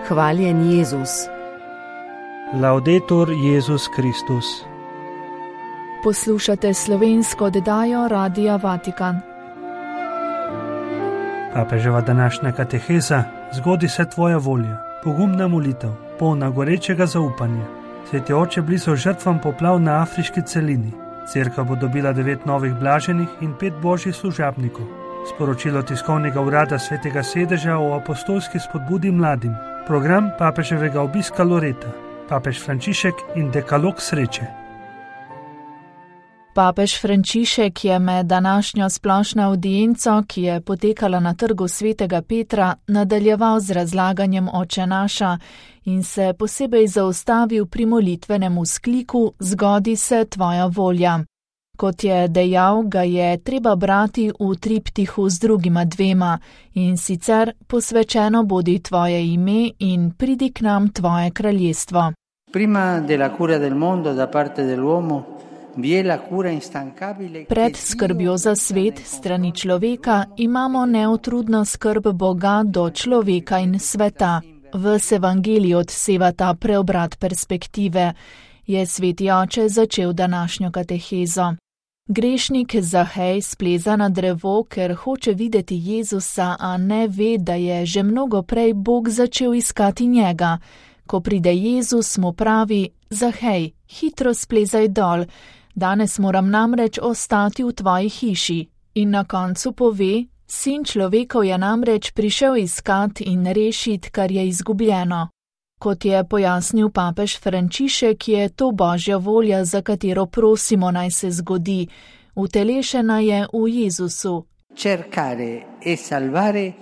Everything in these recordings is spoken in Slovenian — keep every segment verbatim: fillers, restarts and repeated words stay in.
Hvaljen Jezus. Laudetur Jezus Kristus. Poslušate slovensko oddajo Radia Vatikan. Papeževa današnja kateheza: Zgodi se tvoja volja, pogumna molitev, polna gorečega zaupanja. Sveti oče, blizu žrtvam poplav na afriški celini. Cerkev bo dobila devet novih blaženih in pet božjih služabnikov. Sporočilo tiskovnega urada Svetega sedeža o apostolski spodbudi mladim. Program papeževega obiska Loreta. Papež Frančišek in dekalog sreče. Papež Frančišek je med današnjo splošno avdienco, ki je potekala na trgu Svetega Petra, nadaljeval z razlaganjem Oče naša in se posebej zaustavil pri molitvenem vzkliku Zgodi se tvoja volja. Kot je dejal, ga je treba brati v triptihu z drugima dvema, in sicer posvečeno bodi tvoje ime in pridi k nam tvoje kraljestvo. Prima della cura del mondo da parte dell'uomo vi è la cura instancabile. Pred skrbjo za svet strani človeka imamo neutrudno skrb Boga do človeka in sveta. V evangeliju odseva ta preobrat perspektive, je sveti oče začel današnjo katehezo. Grešnik Zahej spleza na drevo, ker hoče videti Jezusa, a ne ve, da je že mnogo prej Bog začel iskati njega. Ko pride Jezus, mu pravi: Zahej, hitro splezaj dol, danes moram namreč ostati v tvoji hiši. In na koncu pove: Sin človekov je namreč prišel iskat in rešit, kar je izgubljeno. Kot je pojasnil papež Frančišek, je to božja volja, za katero prosimo naj se zgodi. Utelešena je v Jezusu. Cercare e salvare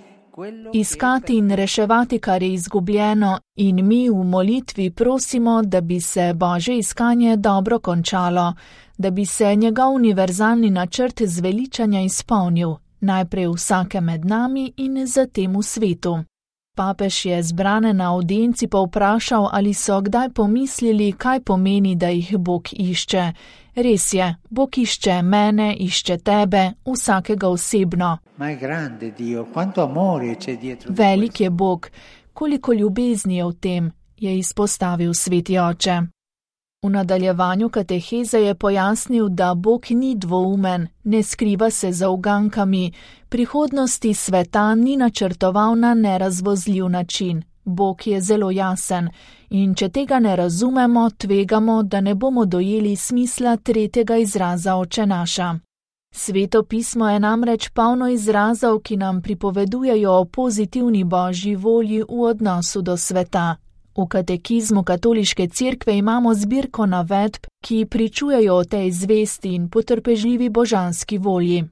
Iskati in reševati, kar je izgubljeno, in mi v molitvi prosimo, da bi se božje iskanje dobro končalo, da bi se njegov univerzalni načrt zveličanja izpolnil, najprej vsake med nami in zatem v svetu. Papež je zbrane na avdienci povprašal, ali so kdaj pomislili, kaj pomeni, da jih Bog išče. Res je, Bog išče mene, išče tebe, vsakega osebno. Velik je Bog, koliko ljubezni je v tem, je izpostavil sveti oče. V nadaljevanju kateheze je pojasnil, da Bog ni dvoumen, ne skriva se za ugankami, prihodnosti sveta ni načrtoval na nerazvozljiv način. Bog je zelo jasen in če tega ne razumemo, tvegamo, da ne bomo dojeli smisla tretjega izraza Oče naša. Sveto pismo je namreč polno izrazov, ki nam pripovedujejo o pozitivni božji volji v odnosu do sveta. V katekizmu katoliške cerkve imamo zbirko navedb, ki pričujejo o tej zvesti in potrpežljivi božanski volji.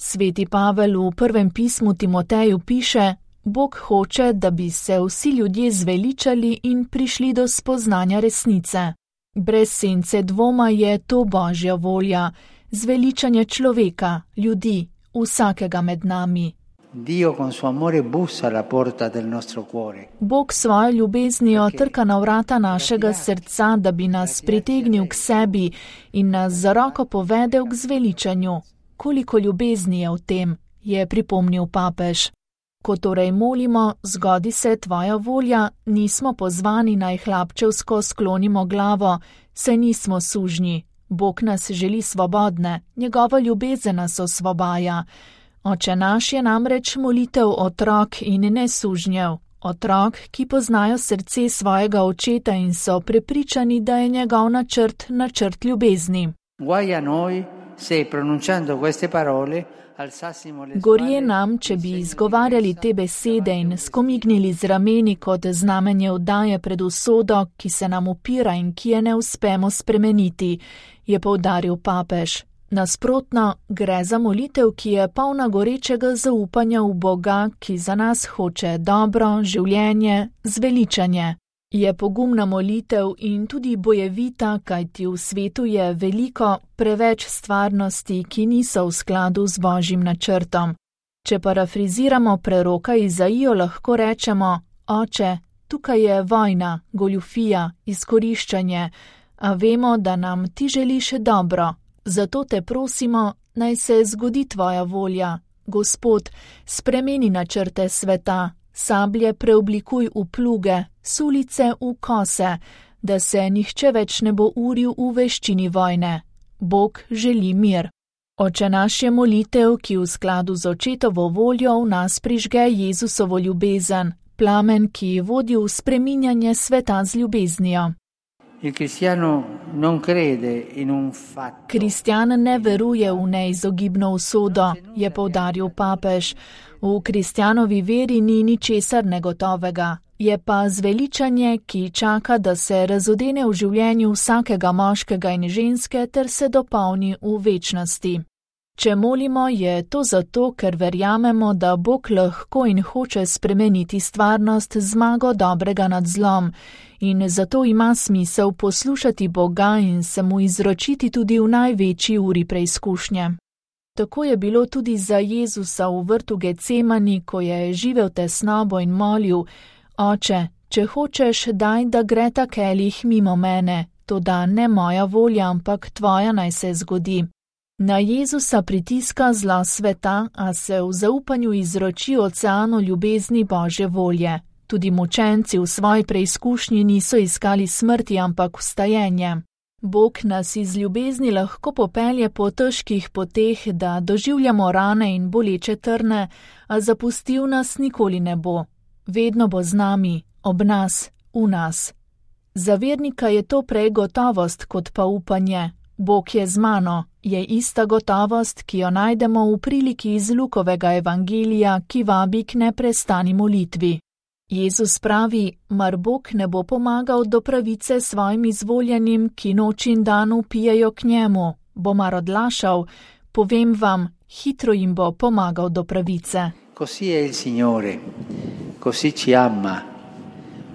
Sveti Pavel v prvem pismu Timoteju piše: Bog hoče, da bi se vsi ljudje zveličali in prišli do spoznanja resnice. Brez sence dvoma je to božja volja, zveličanje človeka, ljudi, vsakega med nami. Dio con suo amore bussa alla porta del nostro cuore. Bog svojo ljubeznijo trka na vrata našega srca, da bi nas pritegnil k sebi in nas za roko povedel k zveličanju. Koliko ljubezni je v tem, je pripomnil papež. Ko torej molimo, zgodi se tvoja volja, nismo pozvani naj hlapčevsko sklonimo glavo, saj nismo sužnji. Bog nas želi svobodne, njegova ljubezen nas osvobaja. Oče naš je namreč molitev otrok in ne sužnjev. Otrok, ki poznajo srce svojega očeta in so prepričani, da je njegov načrt načrt ljubezni. Gorje nam, če bi izgovarjali te besede in skomignili z rameni kot znamenje vdaje pred usodo, ki se nam upira in ki je ne uspemo spremeniti, je poudaril papež. Nasprotno, gre za molitev, ki je polna gorečega zaupanja v Boga, ki za nas hoče dobro, življenje, zveličanje. Je pogumna molitev in tudi bojevita, kajti v svetu je veliko, preveč stvarnosti, ki niso v skladu z božjim načrtom. Če parafriziramo preroka Izaijo, lahko rečemo: Oče, tukaj je vojna, goljufija, izkoriščanje, a vemo, da nam ti želiš dobro. Zato te prosimo, naj se zgodi tvoja volja. Gospod, spremeni načrte sveta, sablje preoblikuj v pluge, sulice v kose, da se nihče več ne bo uril v veščini vojne. Bog želi mir. Oče naš je molitev, ki v skladu z očetovo voljo v nas prižge Jezusovo ljubezen, plamen, ki vodi v spreminjanje sveta z ljubeznijo. Kristjan ne veruje v neizogibno usodo, je poudaril papež. V kristjanovi veri ni ničesar negotovega, je pa zveličanje, ki čaka, da se razodene v življenju vsakega moškega in ženske ter se dopolni v večnosti. Če molimo, je to zato, ker verjamemo, da Bog lahko in hoče spremeniti stvarnost z zmago dobrega nad zlom in zato ima smisel poslušati Boga in se mu izročiti tudi v največji uri preizkušnje. Tako je bilo tudi za Jezusa v vrtu Getsemani, ko je živel tesnobo in molil: Oče, če hočeš, daj, da gre ta kelih mimo mene, toda ne moja volja, ampak tvoja naj se zgodi. Na Jezusa pritiska zla sveta, a se v zaupanju izroči oceanu ljubezni Božje volje. Tudi mučenci v svoji preizkušnji niso iskali smrti, ampak vstajenje. Bog nas iz ljubezni lahko popelje po težkih poteh, da doživljamo rane in boleče trne, a zapustil nas nikoli ne bo. Vedno bo z nami, ob nas, v nas. Za vernika je to prej gotovost kot pa upanje. Bog je z mano, je ista gotovost, ki jo najdemo v priliki iz Lukovega evangelija, ki vabi k neprestani molitvi. Jezus pravi: mar Bog ne bo pomagal do pravice svojim izvoljenim, ki noč in dan vpijejo k njemu, bo mar odlašal, povem vam, hitro jim bo pomagal do pravice. Così è il Signore, così ci ama,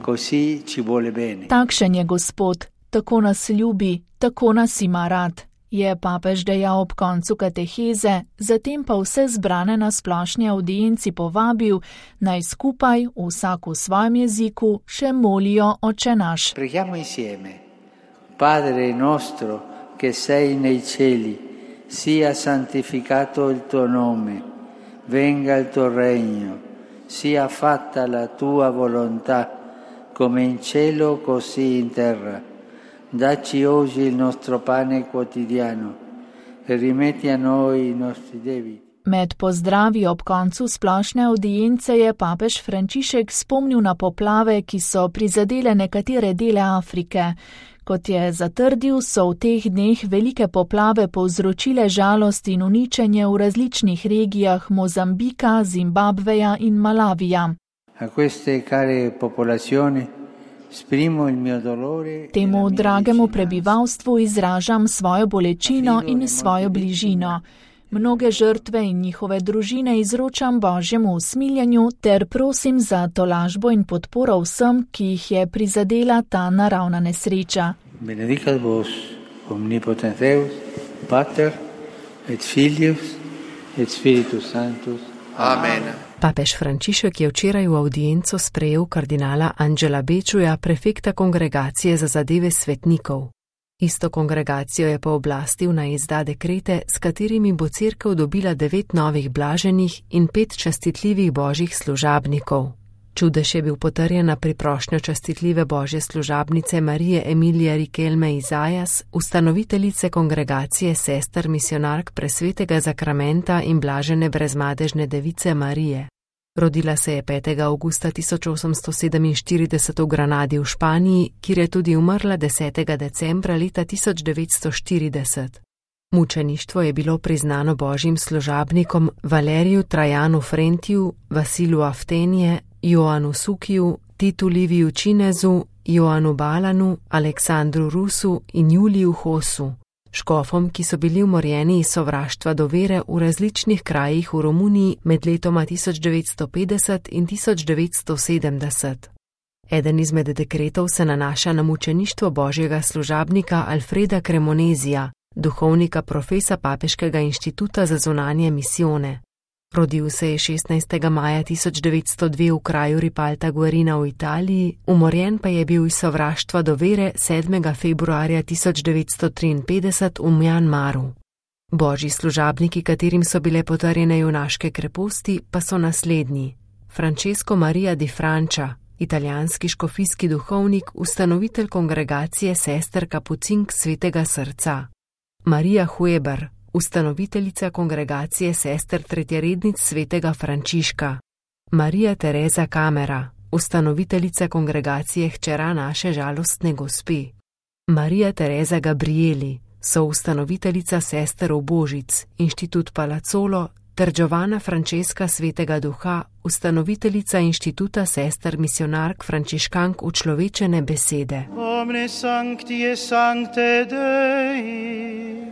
così ci vuole bene. Takšen je Gospod, tako nas ljubi, tako nas ima rad, je papež dejal ob koncu kateheze, zatem pa vse zbrane na splošni avdienci povabil, naj skupaj, vsak v svojem jeziku, še molijo Oče naš. Preghiamo insieme. Padre nostro, che sei nei cieli, sia santificato il tuo nome, venga il tuo regno, sia fatta la tua volontà, come in cielo così in terra. Dacci oggi il nostro pane quotidiano e rimetti a noi i nostri debiti. Med pozdravi ob koncu splošne avdience je papež Frančišek spomnil na poplave, ki so prizadele nekatere dele Afrike. Kot je zatrdil, so v teh dneh velike poplave povzročile žalost in uničenje v različnih regijah Mozambika, Zimbabveja in Malavija. A queste care popolazioni Temu dragemu prebivalstvu izražam svojo bolečino in svojo bližino. Mnoge žrtve in njihove družine izročam Božjemu usmiljenju ter prosim za tolažbo in podporo vsem, ki jih je prizadela ta naravna nesreča. Benedicat vos, omnipotens Deus, Pater et Filius et Spiritus Sanctus. Amen. Papež Frančišek je včeraj v audienco sprejel kardinala Angela Bečuja, prefekta kongregacije za zadeve svetnikov. Isto kongregacijo je pooblastil naj izda dekrete, s katerimi bo cerkev dobila devet novih blaženih in pet častitljivih božjih služabnikov. Čudež je bil potrjen na priprošnjo častitljive božje služabnice Marije Emilije Rikelme Izajas, ustanoviteljice kongregacije sester misionark presvetega zakramenta in blažene brezmadežne device Marije. Rodila se je petega avgusta tisoč osemsto sedeminštirideset v Granadi v Španiji, kjer je tudi umrla desetega decembra leta tisoč devetsto štirideset. Mučeništvo je bilo priznano božjim služabnikom Valeriju Trajanu Frentiju, Vasilu Aftenije, Joanu Sukiju, Titu Liviju Činezu, Joanu Balanu, Aleksandru Rusu in Juliju Hosu, škofom, ki so bili umorjeni iz sovraštva do vere v različnih krajih v Romuniji med letoma tisoč devetsto petdeset in tisoč devetsto sedemdeset. Eden izmed dekretov se nanaša na mučeništvo božjega služabnika Alfreda Cremonezija, duhovnika profesa Papeškega inštituta za zunanje misijone. Rodil se je šestnajstega maja tisoč devetsto dve v kraju Ripalta Guarina v Italiji, umorjen pa je bil iz sovraštva do vere sedmega februarja tisoč devetsto triinpetdeset v Mjanmaru. Božji služabniki, katerim so bile potrjene junaške kreposti, pa so naslednji: Francesco Maria di Francia, italijanski škofijski duhovnik, ustanovitelj kongregacije sester Kapucink Svetega srca. Marija Hueber, ustanoviteljica kongregacije sester tretjerednic Svetega Frančiška. Marija Tereza Kamera, ustanoviteljica kongregacije Hčera naše žalostne gospe. Marija Tereza Gabrieli, soustanoviteljica sester Obožic, Inštitut Palazzolo, ter Giovanna Francesca Svetega duha, ustanoviteljica Inštituta sester misionark frančiškank učlovečene besede. Omne sancti et sancte Dei.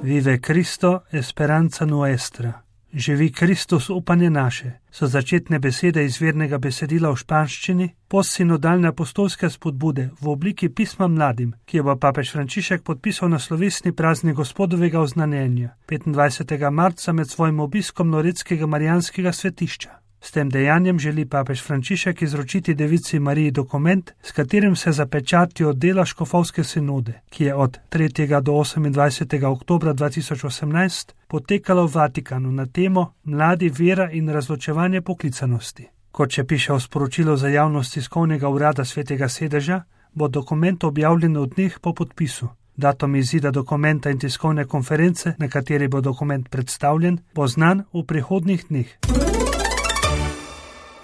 Vive Cristo, esperanza nuestra. Živi Kristus, upanje naše, so začetne besede izvirnega besedila v španščini, postsinodalne apostolske spodbude v obliki pisma mladim, ki jo bo papež Frančišek podpisal na slovesni praznik Gospodovega oznanjenja petindvajsetega marca med svojim obiskom Loretskega marijanskega svetišča. S tem dejanjem želi papež Frančišek izročiti devici Mariji dokument, s katerim se zapečati od dela škofovske sinode, ki je od tretjega do osemindvajsetega oktobra dva tisoč osemnajst potekalo v Vatikanu na temo Mladi, vera in razločevanje poklicanosti. Kot še piše v sporočilu za javnost tiskovnega urada Svetega sedeža, bo dokument objavljen v dneh po podpisu. Datum izida dokumenta in tiskovne konference, na kateri bo dokument predstavljen, bo znan v prihodnjih dneh.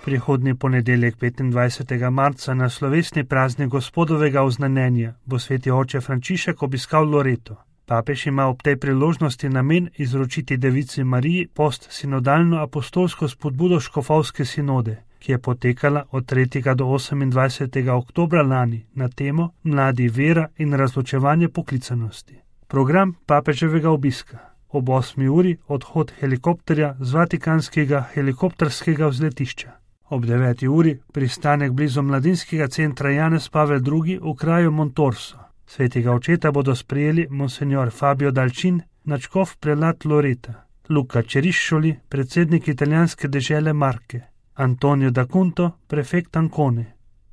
Prihodnji ponedeljek petindvajsetega marca na slovesni praznik Gospodovega oznanjenja bo sveti oče Frančišek obiskal Loreto. Papež ima ob tej priložnosti namen izročiti devici Mariji postsinodalno apostolsko spodbudo škofovske sinode, ki je potekala od tretjega do osemindvajsetega oktobra lani na temo Mladi, vera in razločevanje poklicanosti. Program papeževega obiska. Ob osmi uri odhod helikopterja z vatikanskega helikopterskega vzletišča. Ob deveti uri pristanek blizu mladinskega centra Janez Pavel drugi v kraju Montorso. Svetega očeta bodo sprejeli monsenjor Fabio Dalčin, nadškof prelat Loreta, Luca Čeriščoli, predsednik italijanske dežele Marke, Antonio D'Acunto, prefekt Ancone,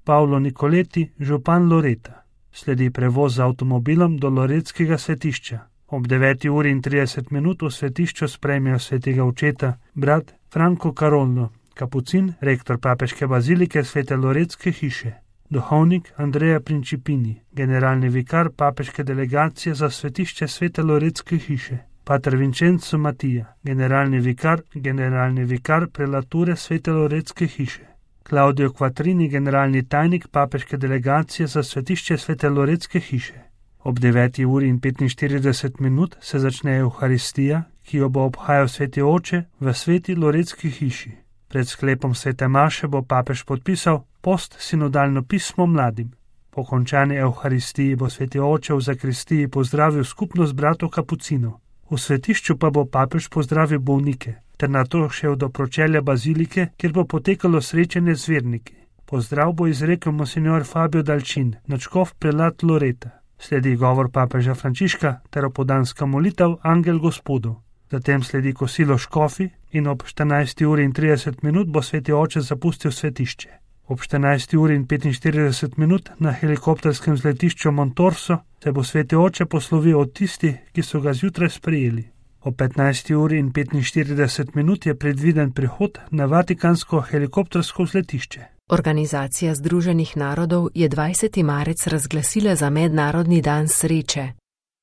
Paolo Nicoleti, župan Loreta. Sledi prevoz z avtomobilom do loretskega svetišča. Ob deveti uri in trideset minut v svetišču sprejmejo svetega očeta brat Franco Carollo, kapucin, rektor papeške bazilike Svete Loretske hiše, duhovnik Andrea Principini, generalni vikar papeške delegacije za svetišče Svete Loretske hiše, pater Vincenzo Matija, generalni vikar, generalni vikar prelature Svete Loretske hiše, Claudio Quattrini, generalni tajnik papeške delegacije za svetišče Svete Loretske hiše. Ob deveti uri in petinštirideset minut se začne Euharistija, ki jo bo obhajal sveti oče v Sveti Loretski hiši. Pred sklepom svete maše bo papež podpisal postsinodalno pismo mladim. Po končani Euharistiji bo sveti oče v zakristiji pozdravil skupnost bratov kapucinov. V svetišču pa bo papež pozdravil bolnike, ter nato šel do pročelja bazilike, kjer bo potekalo srečanje z verniki. Pozdrav bo izrekel monsenjor Fabio Dalčin, nadškof prelat Loreta. Sledi govor papeža Frančiška ter opoldanska molitev Angel Gospodov. Zatem sledi kosilo škofi in ob štirinajsti uri in trideset minut bo sveti oče zapustil svetišče. Ob štirinajsti uri in petinštirideset minut na helikopterskem vzletišču Montorso se bo sveti oče poslovil od tistih, ki so ga zjutraj sprejeli. Ob petnajsti uri in petinštirideset minut je predviden prihod na vatikansko helikoptersko vzletišče. Organizacija Združenih narodov je dvajseti marec razglasila za mednarodni dan sreče.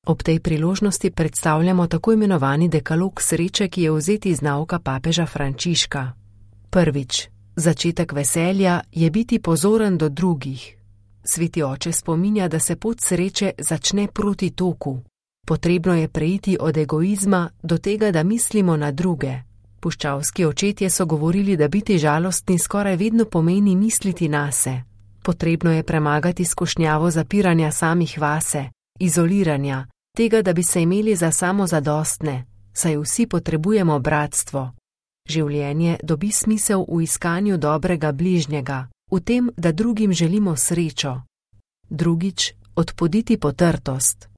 Ob tej priložnosti predstavljamo tako imenovani dekalog sreče, ki je vzet iz nauka papeža Frančiška. Prvič, začetek veselja je biti pozoren do drugih. Sveti oče spominja, da se pot sreče začne proti toku. Potrebno je preiti od egoizma do tega, da mislimo na druge. Puščavski očetje so govorili, da biti žalostni skoraj vedno pomeni misliti nase. Potrebno je premagati skušnjavo zapiranja samih vase, izoliranja, tega, da bi se imeli za samozadostne, saj vsi potrebujemo bratstvo. Življenje dobi smisel v iskanju dobrega bližnjega, v tem, da drugim želimo srečo. Drugič, odpoditi potrtost.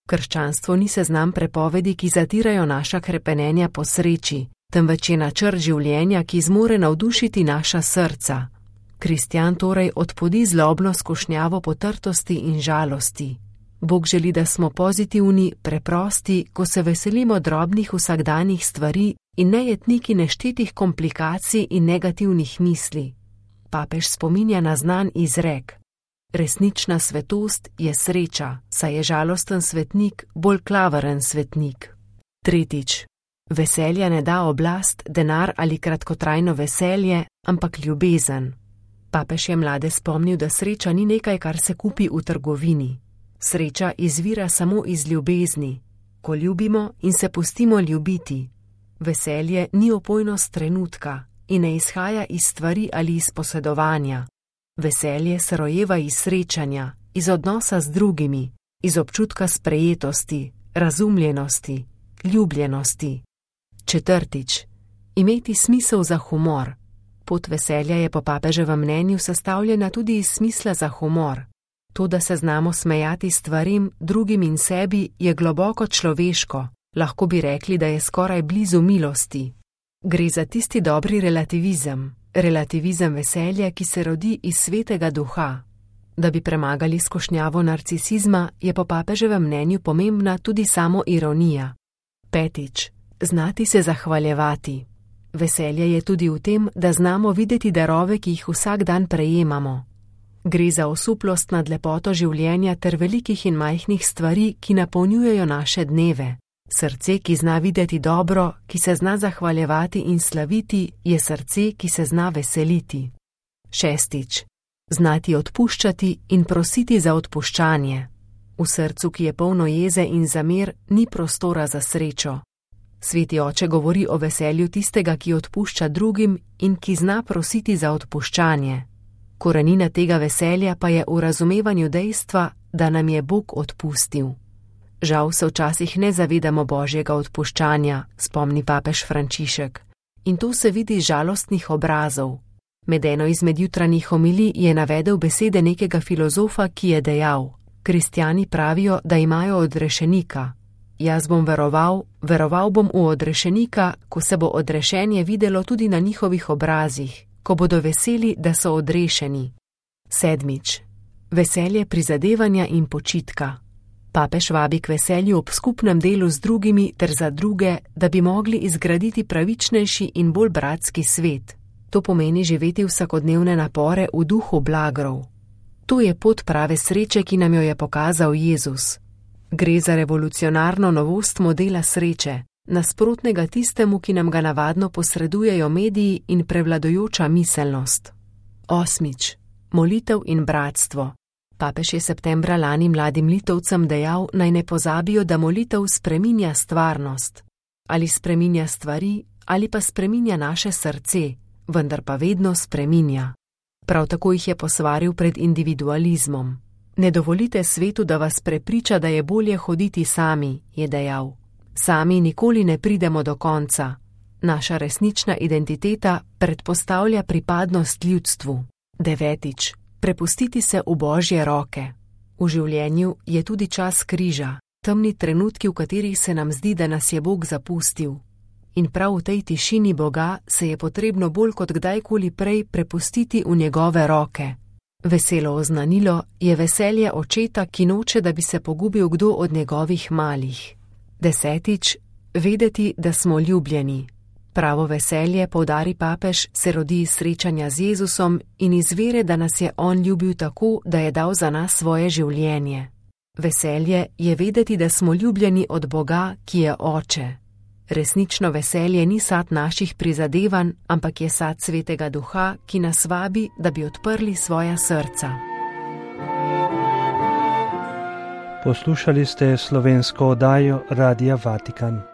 Krščanstvo ni seznam prepovedi, ki zatirajo naša krepenenja po sreči, temveč je načrt življenja, ki zmore navdušiti naša srca. Kristjan torej odpodi zlobno skušnjavo potrtosti in žalosti. Bog želi, da smo pozitivni, preprosti, ko se veselimo drobnih vsakdanjih stvari, in nejetniki neštetih komplikacij in negativnih misli. Papež spominja na znan izrek: resnična svetost je sreča, saj je žalosten svetnik bolj klaveren svetnik. Tretjič. Veselja ne da oblast, denar ali kratkotrajno veselje, ampak ljubezen. Papež je mlade spomnil, da sreča ni nekaj, kar se kupi v trgovini. Sreča izvira samo iz ljubezni, ko ljubimo in se pustimo ljubiti. Veselje ni opojnost trenutka in ne izhaja iz stvari ali iz posedovanja. Veselje se rojeva iz srečanja, iz odnosa z drugimi, iz občutka sprejetosti, razumljenosti, ljubljenosti. Četrtič. Imeti smisel za humor. Pot veselja je po papeževem mnenju sestavljena tudi iz smisla za humor. To, da se znamo smejati stvarim, drugim in sebi, je globoko človeško, lahko bi rekli, da je skoraj blizu milosti. Gre za tisti dobri relativizem, relativizem veselja, ki se rodi iz svetega duha. Da bi premagali skušnjavo narcisizma, je po papeževem mnenju pomembna tudi samo ironija. Petič. Znati se zahvaljevati. Veselje je tudi v tem, da znamo videti darove, ki jih vsak dan prejemamo. Gre za osuplost nad lepoto življenja ter velikih in majhnih stvari, ki napolnjujejo naše dneve. Srce, ki zna videti dobro, ki se zna zahvaljevati in slaviti, je srce, ki se zna veseliti. Šestič. Znati odpuščati in prositi za odpuščanje. V srcu, ki je polno jeze in zamer, ni prostora za srečo. Sveti oče govori o veselju tistega, ki odpušča drugim in ki zna prositi za odpuščanje. Korenina tega veselja pa je v razumevanju dejstva, da nam je Bog odpustil. Žal se včasih ne zavedamo Božjega odpuščanja, spomni papež Frančišek. In to se vidi iz žalostnih obrazov. Med eno izmed jutranjih homilij je navedel besede nekega filozofa, ki je dejal: kristjani pravijo, da imajo odrešenika. Jaz bom veroval, veroval bom v odrešenika, ko se bo odrešenje videlo tudi na njihovih obrazih, ko bodo veseli, da so odrešeni. Sedmič. Veselje prizadevanja in počitka. Papež vabi k veselju ob skupnem delu z drugimi ter za druge, da bi mogli izgraditi pravičnejši in bolj bratski svet. To pomeni živeti vsakodnevne napore v duhu blagrov. To je pot prave sreče, ki nam jo je pokazal Jezus. Gre za revolucionarno novost modela sreče, nasprotnega tistemu, ki nam ga navadno posredujejo mediji in prevladujoča miselnost. Osmič. Molitev in bratstvo. Papež je septembra lani mladim Litovcem dejal, naj ne pozabijo, da molitev spreminja stvarnost. Ali spreminja stvari, ali pa spreminja naše srce, vendar pa vedno spreminja. Prav tako jih je posvaril pred individualizmom. Ne dovolite svetu, da vas prepriča, da je bolje hoditi sami, je dejal. Sami nikoli ne pridemo do konca. Naša resnična identiteta predpostavlja pripadnost ljudstvu. Devetič. Prepustiti se v Božje roke. V življenju je tudi čas križa, temni trenutki, v katerih se nam zdi, da nas je Bog zapustil. In prav v tej tišini Boga se je potrebno bolj kot kdajkoli prej prepustiti v njegove roke. Veselo oznanilo je veselje očeta, ki noče, da bi se pogubil kdo od njegovih malih. Desetič. Vedeti, da smo ljubljeni. Pravo veselje, poudari papež, se rodi iz srečanja z Jezusom in iz vere, da nas je on ljubil tako, da je dal za nas svoje življenje. Veselje je vedeti, da smo ljubljeni od Boga, ki je Oče. Resnično veselje ni sad naših prizadevanj, ampak je sad Svetega Duha, ki nas vabi, da bi odprli svoja srca. Poslušali ste slovensko oddajo Radia Vatikan.